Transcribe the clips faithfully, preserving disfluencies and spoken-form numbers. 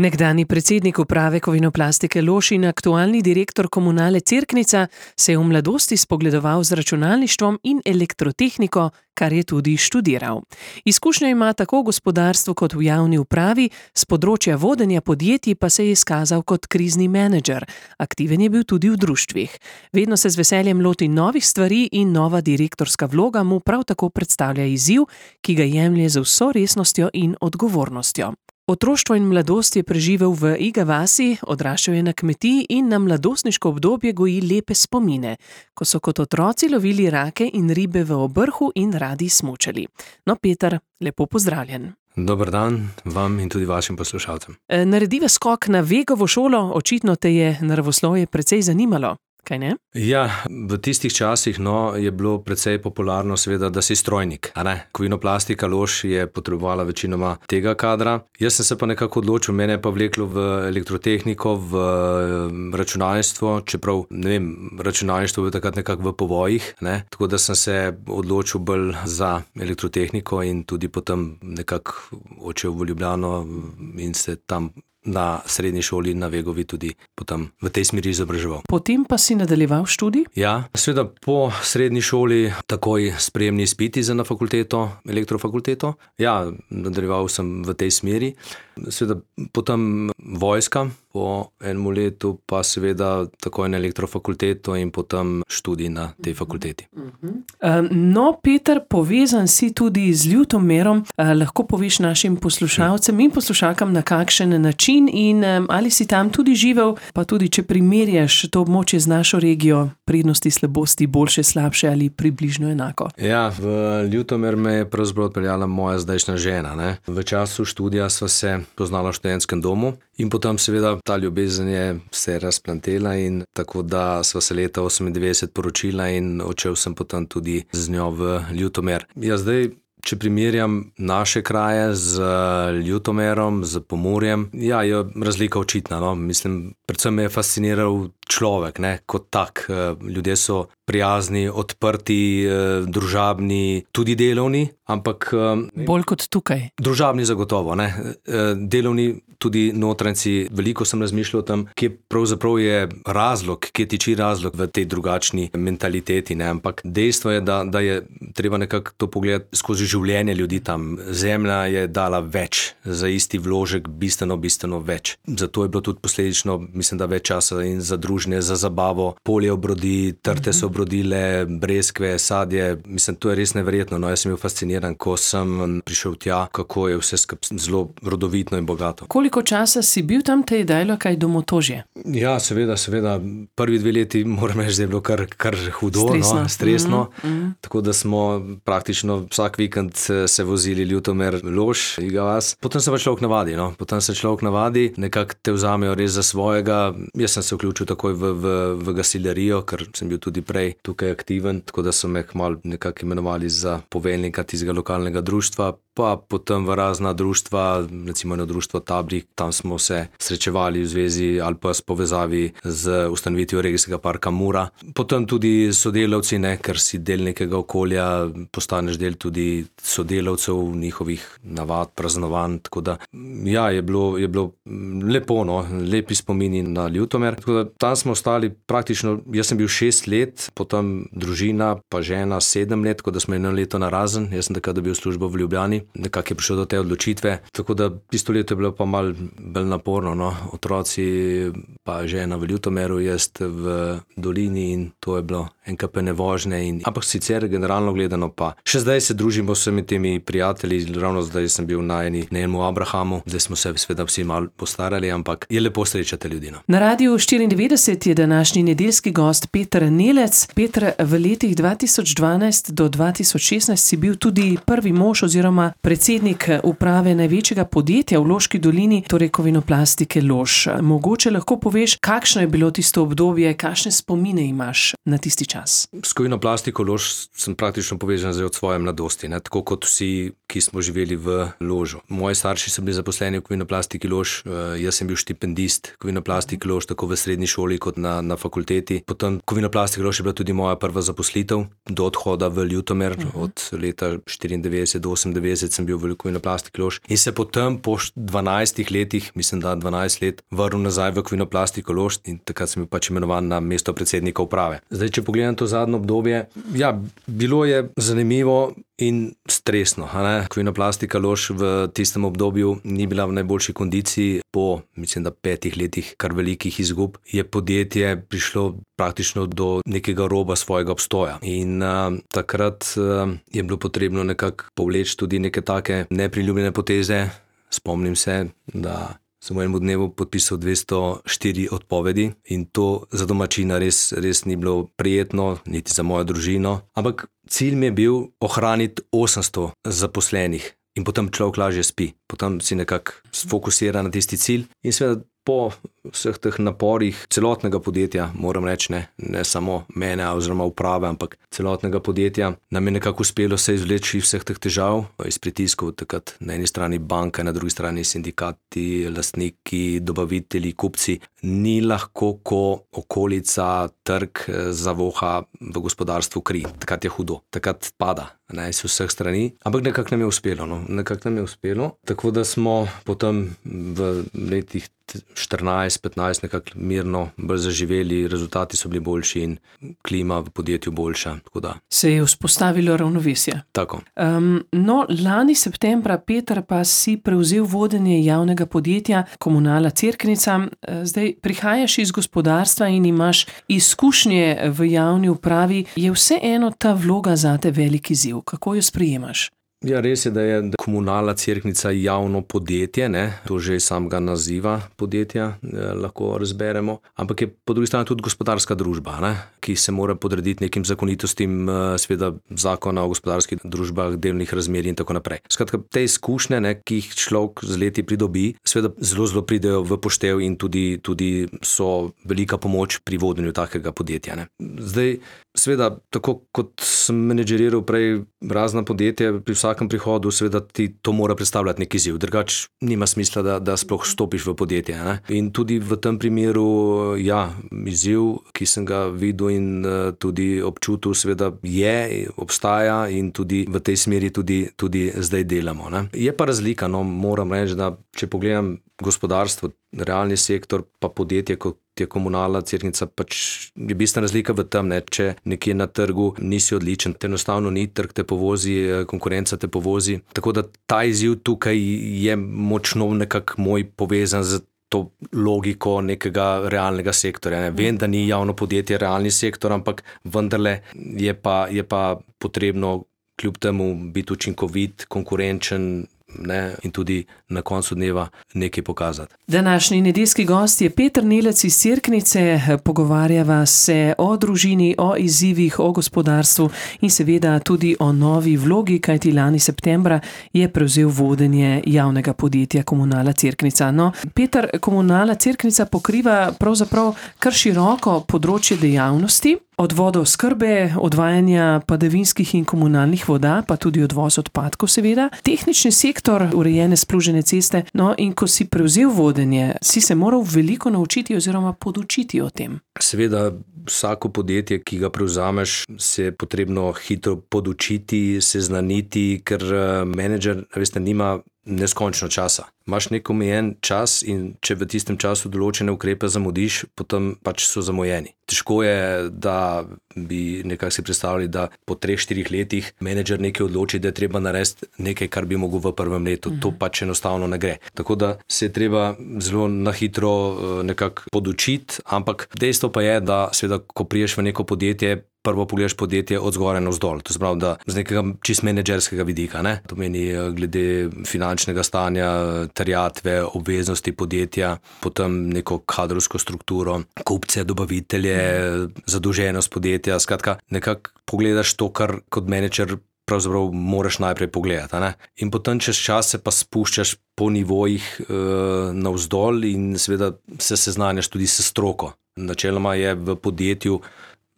Nekdanji predsednik uprave Kovinoplastike Lož in aktualni direktor Komunale Cerknica se je v mladosti spogledoval z računalništvom in elektrotehniko, kar je tudi študiral. Izkušnje ima tako v gospodarstvu kot v javni upravi, s področja vodenja podjetij pa se je izkazal kot krizni menedžer. Aktiven je bil tudi v društvih. Vedno se z veseljem loti novih stvari in nova direktorska vloga mu prav tako predstavlja izziv, ki ga jemlje z vso resnostjo in odgovornostjo. Otroštvo in mladost je preživel v Iga vasi, odraščal je na kmetiji in na mladostniško obdobje goji lepe spomine, ko so kot otroci lovili rake in ribe v obrhu in radi smučali. No, Peter, lepo pozdravljen. Dober dan vam in tudi vašim poslušalcem. Narediva skok na Vegovo šolo, očitno te je naravoslovje precej zanimalo. Kaj ne? Ja, v tistih časih no, je bilo precej popularno seveda, da si strojnik. A ne? Kovinoplastika Lož je potrebovala večinoma tega kadra. Jaz sem se pa nekako odločil, mene je pa vleklo v elektrotehniko, v računalništvo, čeprav, ne vem, računalništvo je takrat nekako v povojih, ne? Tako da sem se odločil bolj za elektrotehniko in tudi potem nekako odšel v Ljubljano in se tam na srednji šoli na Vegovi tudi potem v tej smeri izobraževal. Potem pa si nadaljeval študij? Ja, seveda po srednji šoli takoj sprejemni izpiti za na fakulteto, elektrofakulteto. Ja, nadaljeval sem v tej smeri. Seveda potem vojska, po enem letu pa seveda takoj na elektrofakulteto in potem študij na tej fakulteti. No, Peter, povezan si tudi z Ljutomerom. Lahko poveš našim poslušalcem in poslušalkam, na kakšen način in ali si tam tudi živel, pa tudi če primerjaš to območje z našo regijo, prednosti, slabosti, boljše, slabše ali približno enako. Ja, v Ljutomer me je pravzaprav odpeljala moja zdajšnja žena. Ne? V času študija sva se poznala v študentskem domu in potem seveda ta ljubezen je se razplantela in tako da sva se leta osemindevetdeset poročila in odšel sem potem tudi z njo v Ljutomer. Ja, zdaj, če primerjam naše kraje z Ljutomerom, z Pomurjem, ja, je razlika očitna, no. Mislim, predvsem me je fasciniral človek, ne, kot tak. Ljudje so prijazni, odprti, družabni, tudi delovni, ampak... Bolj kot tukaj. Družabni zagotovo, ne. Delovni, tudi notranjci. Veliko sem razmišljal o tem, kje pravzaprav je razlog, kje tiči razlog v tej drugačni mentaliteti, ne. Ampak dejstvo je, da, da je treba nekako to pogledati skozi življenje ljudi tam. Zemlja je dala več, za isti vložek bistveno, bistveno več. Zato je bilo tudi posledično, mislim, da več časa in za druženje, za zabavo. Polje obrodi, trte so obrodile, breskve, sadje. Mislim, to je res neverjetno. No, jaz sem bil fasciniran, ko sem prišel tja, kako je vse skupaj zelo rodovitno in bogato. Koliko časa si bil tam, te je dajalo kaj domotožje? Ja, seveda, seveda. Prvi dve leti, moram reči, da je bilo kar, kar hudo, stresno. No, stresno. Mm-hmm. Tako da smo praktično vsak vikend se vozili Ljutomer, Lož, Iga vas. Potem se pa človek navadi, no. Potem se človek navadi, nekako te vzamejo res za svojega. Jaz sem se vključil takoj v, v, v gasilerijo, ker sem bil tudi prej tukaj aktiven, tako da so me kmalu nekako imenovali za poveljnika tistega lokalnega društva, pa potem v razna društva, recimo eno društvo Tabrik, tam smo se srečevali v zvezi ali pa s povezavi z ustanovitvijo regijskega parka Mura. Potem tudi sodelavci, ne, ker si del nekega okolja, postaneš del tudi sodelavcev, njihovih navad, praznovanj, tako da ja, je bilo, je bilo lepo, no, lepi spomini na Ljutomer. Tako da tam smo ostali praktično, jaz sem bil šest let, potem družina, pa žena sedem let, tako da smo eno leto narazen, jaz sem takrat dobil službo v Ljubljani, nekako je prišel do te odločitve, tako da tisto leto je bilo pa malo bolj naporno, no, otroci pa žena v Ljutomeru, jaz v dolini in to je bilo enkapene vožnje in, ampak sicer generalno gledano pa še zdaj se družimo s vsemi temi prijatelji, ravno zdaj sem bil na eni, na enem Abrahamu, zdaj smo se sveda vsi malo postarali, ampak je lepo srečati ljudi, no. Na Radiu štiriindevetdeset je današnji nedeljski gost Peter Nelec. Peter, v letih dva tisoč dvanajst do dva tisoč šestnajst si bil tudi prvi mož oziroma predsednik uprave največjega podjetja v Loški dolini, torej Kovinoplastike Lož. Mogoče lahko poveš, kakšno je bilo tisto obdobje, kakšne spomine imaš na tisti čas? S Kovinoplastiko Lož sem praktično povezan zdaj od svoje mladosti, ne? Tako kot vsi, ki smo živeli v Ložu. Moji starši so bili zaposleni v Kovinoplastiki Lož, jaz sem bil štipendist Kovinoplastike Lož, tako v srednji šoli šoli kot na, na fakulteti. Potem Kovinoplastika Lož je bila tudi moja prva zaposlitev do odhoda v Ljutomer. Uh-huh. Od leta štiriindevetdeset do osemindevetdeset sem bil v Kovinoplastiki Lož in se potem po dvanajstih letih, mislim, da dvanajst let, vrnil nazaj v Kovinoplastiko Lož in takrat sem bil pač imenovan na mesto predsednika uprave. Zdaj, če pogledam to zadnje obdobje, ja, bilo je zanimivo in stresno. Kovinoplastika Lož v tistem obdobju ni bila v najboljši kondiciji. Po, mislim, da petih letih kar velikih izgub je podjetje prišlo praktično do nekega roba svojega obstoja. In uh, takrat uh, je bilo potrebno nekako povleči tudi neke take nepriljubljene poteze. Spomnim se, da sem v enem dnevu podpisal dvesto štiri odpovedi in to za domačina res, res ni bilo prijetno, niti za mojo družino. Ampak cilj mi je bil ohraniti osemsto zaposlenih in potem človek lažje spi. Potem si nekako sfokusira na tisti cilj in seveda po vseh teh naporih celotnega podjetja, moram reči, ne, ne samo mene oziroma uprave, ampak celotnega podjetja, nam je nekako uspelo se izvleči vseh teh težav, iz pritiskov, takrat na eni strani banka, na drugi strani sindikati, lastniki, dobavitelji, kupci. Ni lahko, ko okolica, trg zavoha v gospodarstvu kri. Takrat je hudo, takrat pada, ne, iz vseh strani, ampak nekako nam je uspelo, no, nekako nam je uspelo, tako da smo potem v letih štirinajst petnajst nekako mirno bolj zaživeli, rezultati so bili boljši in klima v podjetju boljša. Tako da. Se je vzpostavilo ravnovesje. Tako. Um, no, lani septembra, Peter, pa si prevzel vodenje javnega podjetja Komunala Cerknica. Zdaj prihajaš iz gospodarstva in imaš izkušnje v javni upravi. Je vseeno ta vloga zate velik izziv? Kako jo sprejemaš? Ja, res je, da je Komunala Cerknica javno podjetje, ne? To že samega naziva podjetja eh, lahko razberemo, ampak je po drugi strani tudi gospodarska družba, ne? Ki se mora podrediti nekim zakonitostim, eh, sveda zakona o gospodarskih družbah, delnih razmerij in tako naprej. Skratka, te izkušnje, ne, ki jih človek z leti pridobi, sveda zelo, zelo pridejo v poštev in tudi, tudi so velika pomoč pri vodenju takega podjetja, ne? Zdaj, sveda, tako kot sem menedžeriral prej razna podjetja, pri vsakem prihodu seveda ti to mora predstavljati neki izziv, drugače nima smisla, da, da sploh stopiš v podjetje, ne? In tudi v tem primeru, ja, izziv, ki sem ga videl in uh, tudi občutil, seveda je, obstaja in tudi v tej smeri tudi, tudi zdaj delamo, ne? Je pa razlika, no, moram reči, da če pogledam gospodarstvo, realni sektor, pa podjetje, kot je Komunala Cerknica, pač je bistvena razlika v tem, ne, če nekje na trgu nisi odličen, te enostavno ni, trg te povozi, konkurenca te povozi. Tako da ta izziv tukaj je močno nekako moj povezan z to logiko nekega realnega sektorja. Ne. Vem, da ni javno podjetje realni sektor, ampak vendarle je pa, je pa potrebno kljub temu biti učinkovit, konkurenčen, ne, in tudi na koncu dneva nekaj pokazati. Današnji nedeljski gost je Peter Nelec iz Cerknice. Pogovarjava se o družini, o izzivih, o gospodarstvu in seveda tudi o novi vlogi, kajti lani septembra je prevzel vodenje javnega podjetja Komunala Cerknica. No, Peter, Komunala Cerknica pokriva pravzaprav kar široko področje dejavnosti, od vodooskrbe, odvajanja padavinskih in komunalnih voda, pa tudi odvoz odpadkov seveda, tehnični sektor, urejene splužene ceste. No, in ko si prevzel vodenje, si se moral veliko naučiti oziroma podučiti o tem. Seveda, vsako podjetje, ki ga prevzameš, se je potrebno hitro podučiti, seznaniti, ker menedžer, veste, nima neskončno časa. Imaš nek omejen čas in če v tistem času določene ukrepe zamudiš, potem pač so zamujeni. Težko je, da bi nekako si predstavljali, da po treh, štirih letih menedžer nekaj odloči, da je treba narediti nekaj, kar bi mogel v prvem letu. To pač enostavno ne gre. Tako da se je treba zelo na hitro nekako podučiti, ampak dejstvo pa je, da seveda, ko priješ v neko podjetje, prvo pogledaš podjetje od zgoraj navzdol. To se pravi, da z nekega čist menedžerskega vidika, ne? To meni glede finančnega stanja, terjatve, obveznosti podjetja, potem neko kadrovsko strukturo, kupce, dobavitelje, zadolženost podjetja. Skratka, nekako pogledaš to, kar kot menedžer pravzaprav moraš najprej pogledati, ne? In potem čez čas se pa spuščaš po nivojih e, navzdol in seveda se seznanjaš tudi s stroko. Načeloma je v podjetju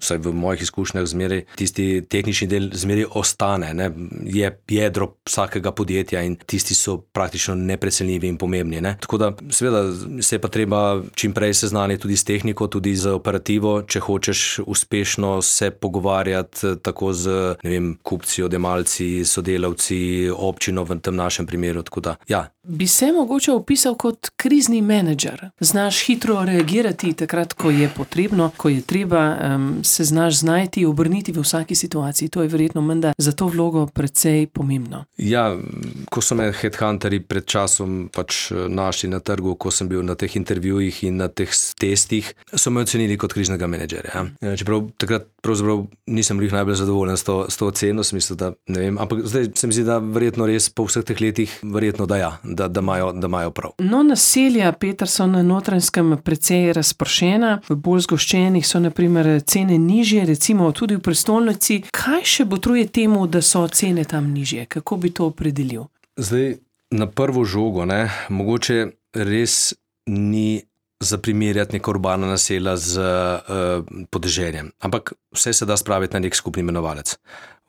vsaj v mojih izkušnjah, zmeraj tisti tehnični del zmeraj ostane, ne? Je jedro vsakega podjetja in tisti so praktično neprecenljivi in pomembni. Ne? Tako da seveda se je pa treba čim prej seznaniti tudi s tehniko, tudi z operativo, če hočeš uspešno se pogovarjati tako z, ne vem, kupci, odjemalci, sodelavci, občino v tem našem primeru. Tako da, ja. Bi se mogoče opisal kot krizni menedžer. Znaš hitro reagirati takrat, ko je potrebno, ko je treba, um, se znaš znajti, obrniti v vsaki situaciji. To je verjetno menda za to vlogo precej pomembno. Ja, ko so me headhunterji pred časom pač našli na trgu, ko sem bil na teh intervjujih in na teh testih, so me ocenili kot kriznega menedžerja. Ja. Čeprav takrat pravzaprav nisem bil najbolj zadovoljen s to, s to oceno, smislu, da ne vem, ampak zdaj se mi zdi, da verjetno res po vseh teh letih verjetno da ja, da, da, imajo, da imajo prav. No, naselja, Peter, so na Notranjskem precej razpršena, v bolj zgoščenih so na primer cene nižje, recimo tudi v prestolnici. Kaj še botruje temu, da so cene tam nižje? Kako bi to opredelil? Zdaj, na prvo žogo, ne, mogoče res ni za primerjati neka urbana naselja z uh, podeželjem. Ampak vse se da spraviti na nek skupni imenovalec.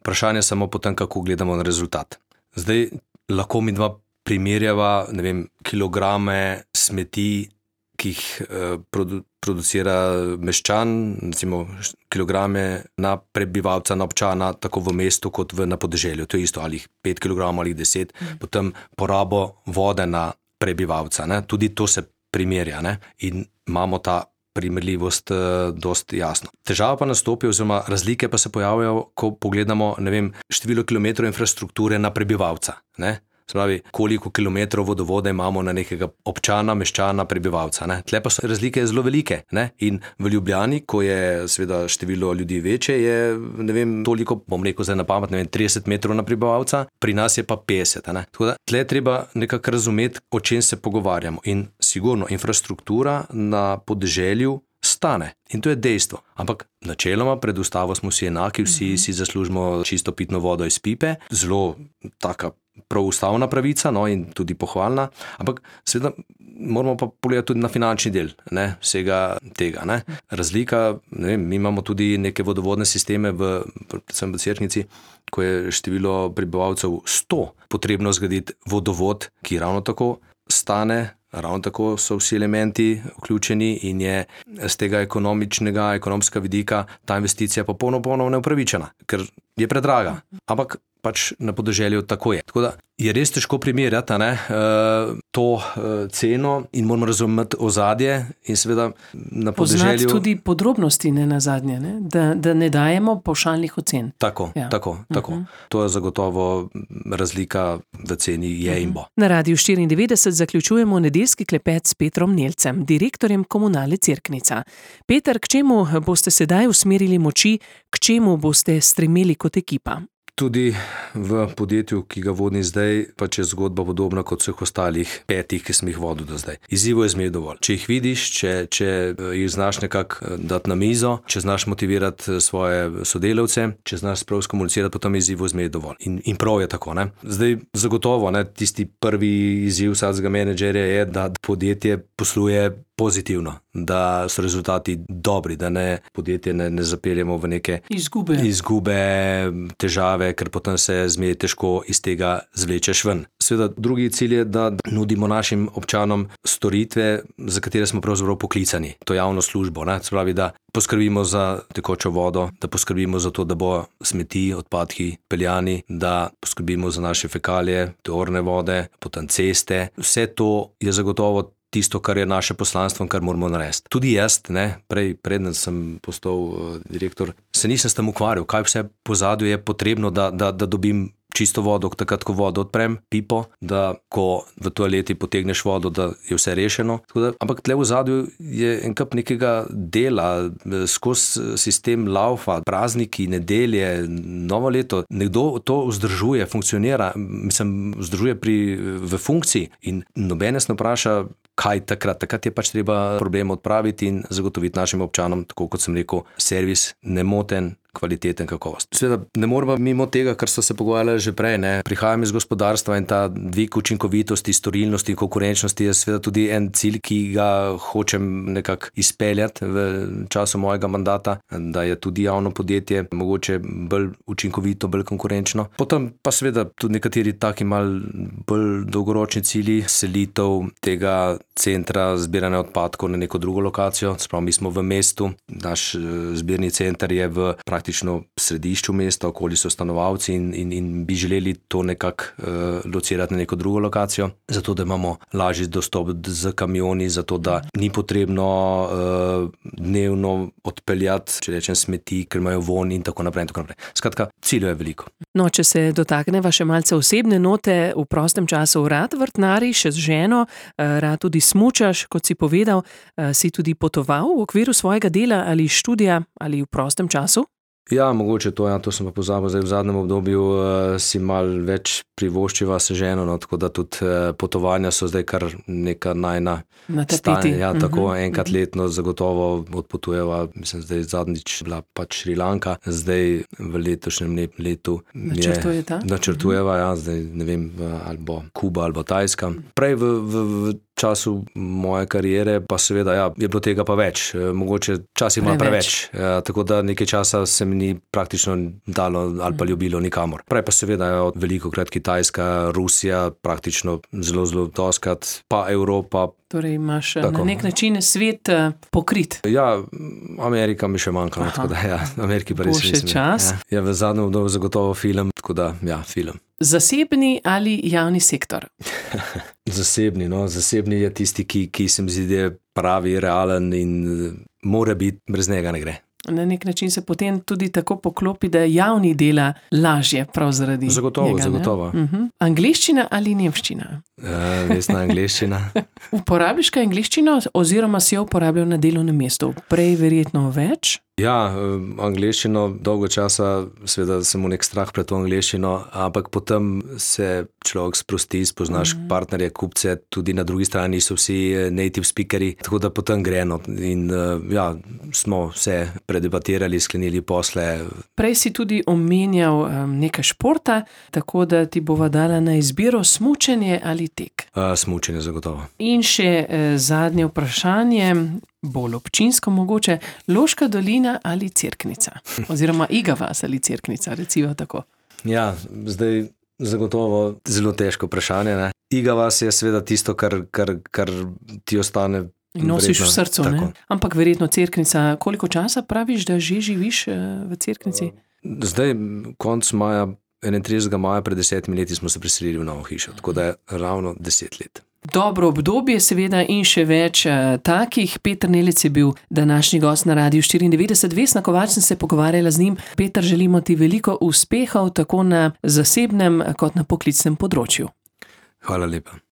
Vprašanje je samo potem, kako gledamo na rezultat. Zdaj, lahko mi dva primerjava, ne vem, kilograme smeti, ki jih uh, produ, producira meščan, recimo kilograme na prebivalca, na občana, tako v mestu kot v, na podeželju. To je isto, ali pet kilogramov ali deset. Mm. Potem porabo vode na prebivalca. Ne? Tudi to se primerja, ne? In imamo ta primerljivost uh, dost jasno. Težava pa nastopi, oziroma razlike pa se pojavljajo, ko pogledamo, ne vem, število kilometrov infrastrukture na prebivalca. Ne? Spravi, koliko kilometrov vodovode imamo na nekega občana, meščana, prebivalca. Ne? Tle pa so razlike zelo velike. Ne? In v Ljubljani, ko je seveda število ljudi večje, je, ne vem, toliko, bom rekel zdaj na pamet, ne vem, trideset metrov na prebivalca, pri nas je pa petdeset. Ne? Tako da tle treba nekako razumeti, o čem se pogovarjamo. In sigurno, infrastruktura na podeželju stane. In to je dejstvo. Ampak načeloma pred ustavo smo vsi enaki, vsi si zaslužimo čisto pitno vodo iz pipe, zelo taka prav ustavna pravica, no, in tudi pohvalna, ampak seveda moramo pa pogledati tudi na finančni del, ne, vsega tega. Ne. Razlika, ne vem, mi imamo tudi neke vodovodne sisteme, v, predvsem v Cerknici, ko je število prebivalcev sto, potrebno zgraditi vodovod, ki ravno tako stane, ravno tako so vsi elementi vključeni in je z tega ekonomičnega, ekonomskega vidika ta investicija popolnoma popolnoma neupravičena, ker je predraga. Ampak pač na podeželju tako je. Tako da je res težko primerjati, ne, to ceno in moramo razumeti ozadje in seveda na podeželju... Poznati tudi podrobnosti, ne nazadnje, ne? Da, da ne dajemo pavšalnih ocen. Tako, ja. tako, tako. Uh-huh. To je zagotovo razlika v ceni je uh-huh. in bo. Na Radiu štiriindevetdeset zaključujemo nedeljski klepet s Petrom Nelcem, direktorjem Komunale Cerknica. Peter, k čemu boste sedaj usmerili moči, k čemu boste stremeli kot ekipa? Tudi v podjetju, ki ga vodim zdaj, pač je zgodba podobna kot vseh ostalih petih, ki sem jih vodil do zdaj. Izzivov je zmeraj dovolj. Če jih vidiš, če, če jih znaš nekako dati na mizo, če znaš motivirati svoje sodelavce, če znaš prav skomunicirati, potem je izzivov zmeraj dovolj. In, in prav je tako. Ne? Zdaj, zagotovo, ne, tisti prvi izziv vsakega menedžerja je, da podjetje posluje pozitivno, da so rezultati dobri, da ne podjetje ne, ne zapeljemo v neke izgube. izgube, težave, ker potem se zmeraj težko iz tega zvlečeš ven. Seveda, drugi cilj je, da nudimo našim občanom storitve, za katere smo pravzaprav poklicani, to javno službo. Ne? Se pravi, da poskrbimo za tekočo vodo, da poskrbimo za to, da bo smeti, odpadki peljani, da poskrbimo za naše fekalije, tovorne vode, potem ceste. Vse to je zagotovo tisto, kar je naše poslanstvo in kar moramo narediti. Tudi jaz, ne, prej, predtem sem postal uh, direktor, se nisem s tem ukvarjal, kaj vse pozadju je potrebno, da, da, da dobim čisto vodo, takrat, ko vodo odprem, pipo, da ko v toaleti potegneš vodo, da je vse rešeno. Da, ampak tle v zadju je en kup nekega dela, skozi sistem laufa, prazniki, nedelje, novo leto. Nekdo to vzdržuje, funkcionira, mislim, vzdržuje pri, v funkciji in nobene se ne vpraša, kaj takrat. Takrat je pač treba problem odpraviti in zagotoviti našim občanom, tako kot sem rekel, servis nemoten, kvaliteten kakovost. Seveda ne moramo mimo tega, kar so se pogovarjali že prej, ne. Prihajam iz gospodarstva in ta dvig učinkovitosti, storilnosti in konkurenčnosti je seveda tudi en cilj, ki ga hočem nekako izpeljati v času mojega mandata, da je tudi javno podjetje mogoče bolj učinkovito, bolj konkurenčno. Potem pa seveda tudi nekateri taki mal bolj dolgoročni cilji, selitev tega centra zbiranja odpadkov na neko drugo lokacijo. Sprav, mi smo v mestu, naš zbirni center je v praktično središču mesta, okoli so stanovalci in, in, in bi želeli to nekako uh, locirati na neko drugo lokacijo, zato da imamo lažji dostop z kamioni, zato da ni potrebno uh, dnevno odpeljati, če rečem, smeti, ker imajo von in tako naprej in tako naprej. Skratka, ciljev je veliko. No, če se dotakneva še malce osebne note, v prostem času rad vrtnariš z ženo, rad tudi smučaš, kot si povedal, si tudi potoval v okviru svojega dela ali študija ali v prostem času? Ja, mogoče to, ja, to sem pa pozabil. Zdaj v zadnjem obdobju uh, si mal več privoščiva se ženo, no, tako da tudi uh, potovanja so zdaj kar neka najna stanje. Ja, tako uh-huh. enkrat letno zagotovo odpotujeva, mislim, zdaj zadnjič bila pač Šrilanka, zdaj v letošnjem letu načrtujeta. Načrtujeva, ja, zdaj ne vem, ali bo Kuba ali bo Tajska. Prej v, v, v času moje kariere pa seveda, ja, je bilo tega pa več. Mogoče časih ima preveč, ja, tako da nekaj časa se mi ni praktično dalo ali pa ljubilo nikamor. Prej pa seveda je veliko krat Kitajska, Rusija, praktično zelo, zelo doskrat, pa Evropa. Torej imaš tako na nek način svet pokrit. Ja, Amerika mi še manjka, tako da ja, Ameriki pa res nisem. Bo še čas. Ja, ja, v zadnjem obdobju zagotovo film, tako da ja, film. Zasebni ali javni sektor? Zasebni, no, zasebni je tisti, ki, ki se mi zdi, da je pravi, realen in mora biti, brez njega ne gre. Na nek način se potem tudi tako poklopi, da javni dela lažje prav zaradi zagotovo, njega. Zagotovo, zagotovo. Uh-huh. Angleščina ali nemščina? Ja, vesna angleščina. Uporabiš kaj angleščino oziroma si jo uporabljal na delovnem mestu? Prej verjetno več? Ja, angleščino dolgo časa, seveda sem v nek strah pred to angleščino, ampak potem se človek sprosti, spoznaš mm. partnerje, kupce, tudi na drugi strani so vsi native speakeri, tako da potem gre, no, in ja, smo vse predebatirali, sklenili posle. Prej si tudi omenjal um, nekaj športa, tako da ti bova dala na izbiro smučenje ali tek. Uh, smučenje zagotovo. In še uh, zadnje vprašanje, bolj občinsko mogoče, Loška dolina ali Cerknica? Oziroma Iga vas ali Cerknica, recimo tako. Ja, zdaj zagotovo zelo težko vprašanje, ne. Iga vas je seveda tisto, kar, kar, kar ti ostane in nosiš vredno, v srcu, ne? Ampak verjetno Cerknica, koliko časa praviš, da že živiš v Cerknici? Zdaj, konc maja, enaintridesetega maja pred desetimi leti smo se preselili v novo hišo, tako da je ravno deset let. Dobro obdobje seveda in še več uh, takih. Peter Nelec je bil današnji gost na Radiu štiriindevetdeset. Vesna Kovač sem se pogovarjala z njim. Peter, želimo ti veliko uspehov tako na zasebnem kot na poklicnem področju. Hvala lepa.